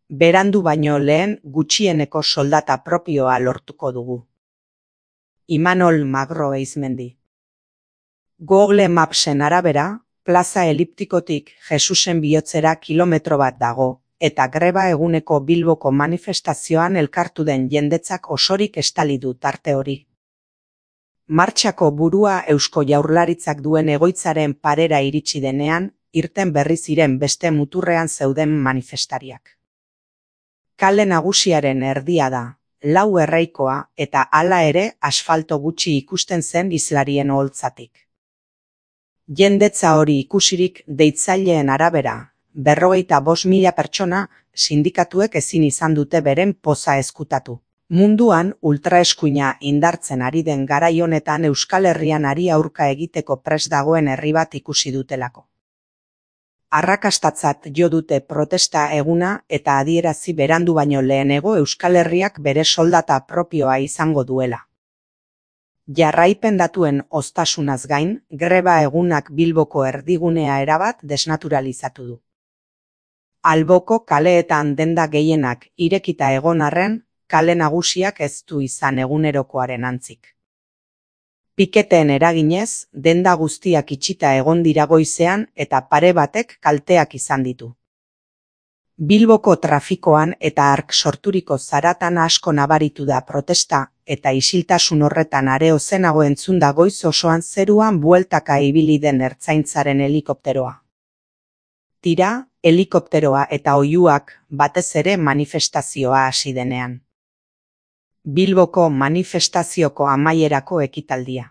Berandu baino lehen gutxieneko soldata propioa lortuko dugu. Imanol Magro Eizmendi. Google Mapsen arabera, plaza eliptikotik Jesusen bihotzera kilometro bat dago, eta greba eguneko Bilboko manifestazioan elkartu den jendetzak osorik estali du tarte hori. Martxako burua Eusko Jaurlaritzak duen egoitzaren parera iritsi denean, irten berri ziren beste muturrean zeuden manifestariak. Kale nagusiaren erdia da, 4 erreikoa eta hala ere asfalto gutxi ikusten zen islarien oholtzatik. Jendetza hori ikusirik deitzaileen arabera, 45.000 pertsona sindikatuek ezin izan dute beren poza ezkutatu. Munduan ultraeskuina indartzen ari den garai honetan Euskal Herrian hari aurka egiteko prest dagoen herri bat ikusi dutelako. Arrakastatzat jo dute protesta eguna eta adierazi berandu baino lehenego Euskal Herriak bere soldata propioa izango duela. Jarraipen datuen oztasunaz gain, greba egunak Bilboko erdigunea erabat desnaturalizatu du. Alboko kaleetan denda gehienak irekita egon arren, kale nagusiak ez du izan egunerokoaren antzik. Piketeen eraginez, denda guztiak itxita egon dira goizean eta pare batek kalteak izan ditu. Bilboko trafikoan eta hark sorturiko zaratan asko nabaritu da protesta eta isiltasun horretan are ozenago entzun da goiz osoan zeruan bueltaka ibili den ertzaintzaren helikopteroa. Tira, helikopteroa eta oihuak batez ere manifestazioa hasi denean. Bilboko manifestazioko amaierako ekitaldia.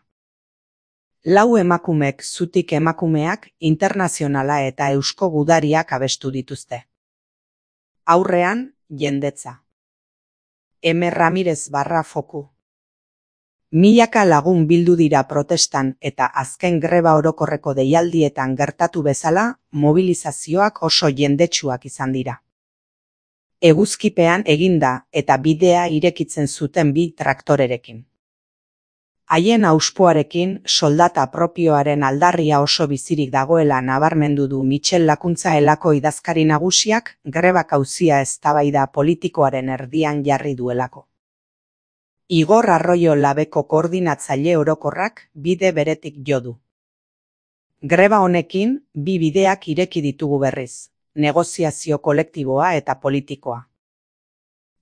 4 emakumek zutik emakumeak internazionala eta eusko gudariak abestu dituzte. Aurrean, jendetza. M. Ramirez barra foku. Milaka lagun bildu dira protestan eta azken greba orokorreko deialdietan gertatu bezala, mobilizazioak oso jendetsuak izan dira. Eguzkipean eginda eta bidea irekitzen zuten 2 traktorerekin. Haien auspoarekin soldata propioaren aldarria oso bizirik dagoela nabarmendu du Michel Lakuntza elako idazkari nagusiak grebak auzia eztabaida politikoaren erdian jarri duelako. Igor Arroyo Labeko koordinatzaile orokorrak bide beretik jo du. Greba honekin 2 bideak ireki ditugu berriz. Negoziazio kolektiboa eta politikoa.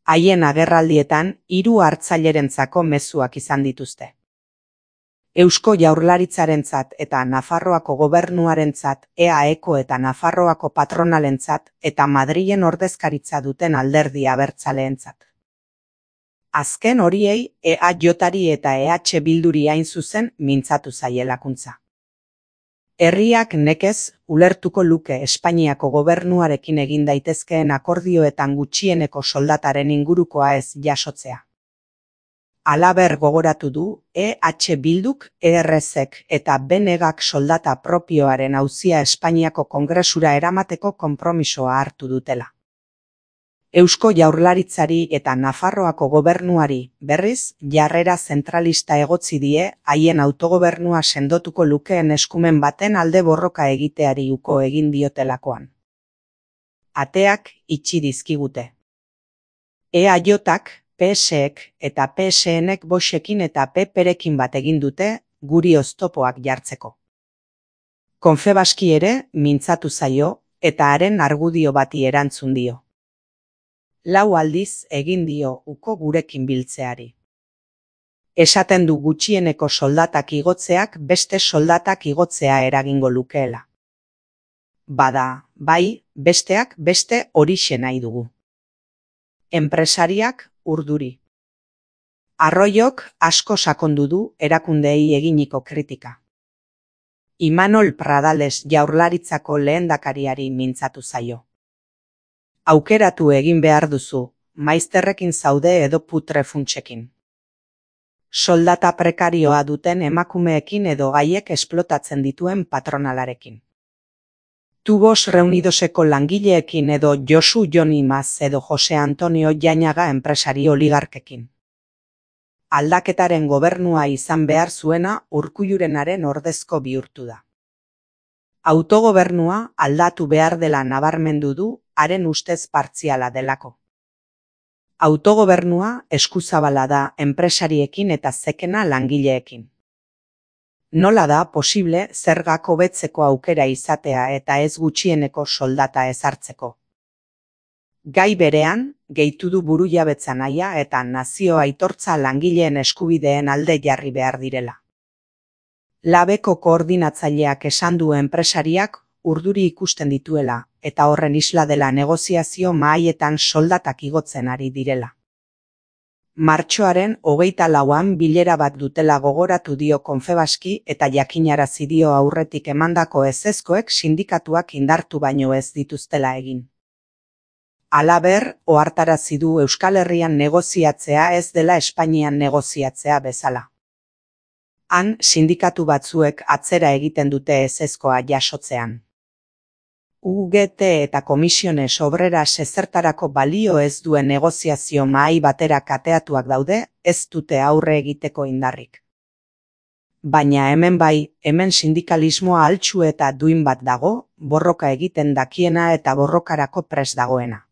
Haien agerraldietan 3 hartzailerentzako mezuak izan dituzte. Eusko Jaurlaritzarentzat eta Nafarroako gobernuarentzat, EAEko eta Nafarroako patronalentzat eta Madrilen ordezkaritza duten alderdi abertzaleentzat. Azken horiei EAJari eta EH Bilduri hain zuzen mintzatu zaie Lakuntza. Herriak nekez ulertuko luke Espainiako gobernuarekin egin daitezkeen akordioetan gutxieneko soldataren ingurukoa ez jasotzea. Halaber gogoratu du EH Bilduk, ERSek eta BNGak soldata propioaren auzia Espainiako Kongresura eramateko konpromisoa hartu dutela. Eusko Jaurlaritzari eta Nafarroako gobernuari, berriz, jarrera zentralista egotzi die haien autogobernua sendotuko lukeen eskumen baten alde borroka egiteari uko egin diotelakoan. Ateak itxi dizkigute. EAJak, PSek eta PSNek Voxekin eta PPrekin bat egin dute guri oztopoak jartzeko. Confebaski ere mintzatu zaio eta haren argudio bati erantzun dio. 4 aldiz egin dio uko gurekin biltzeari. Esaten du gutxieneko soldatak igotzeak beste soldatak igotzea eragingo lukeela. Bada, bai, besteak beste horixe nahi dugu. Enpresariak urduri. Arroyok asko sakondu du erakundeei eginiko kritika. Imanol Pradales Jaurlaritzako lehendakariari mintzatu zaio. Aukeratu egin behar duzu, maizterrekin zaude edo putre funtsekin. Soldata prekarioa duten emakumeekin edo gaiek esplotatzen dituen patronalarekin. Tubos Reunidoseko langileekin edo Josu Joni Maz edo Jose Antonio Jainaga enpresari oligarkekin. Aldaketaren gobernua izan behar zuena Urkullurenaren ordezko bihurtu da. Autogobernua aldatu behar dela nabarmendu du haren ustez partziala delako. Autogobernua eskuzabala da enpresariekin eta zekena langileekin. Nola da posible zergak hobetzeko aukera izatea eta ez gutxieneko soldata ezartzeko? Gai berean, gehitu du burujabetza nahia eta nazio aitortza langileen eskubideen alde jarri behar direla. Labeko koordinatzaileak esan du enpresariak urduri ikusten dituela eta horren isla dela negoziazio mahaietan soldatak igotzen ari direla. Martxoaren 24an bilera bat dutela gogoratu dio Confebaski eta jakinarazi dio aurretik emandako ezezkoek sindikatuak indartu baino ez dituztela egin. Halaber, ohartarazi du Euskal Herrian negoziatzea ez dela Espainian negoziatzea bezala. Han, sindikatu batzuek atzera egiten dute ezezkoa jasotzean. UGT eta Komisiones Obreras ezertarako balio ez duen negoziazio mahai batera kateatuak daude, ez dute aurre egiteko indarrik. Baina hemen bai, hemen sindikalismoa altxu eta duin bat dago, borroka egiten dakiena eta borrokarako prest dagoena.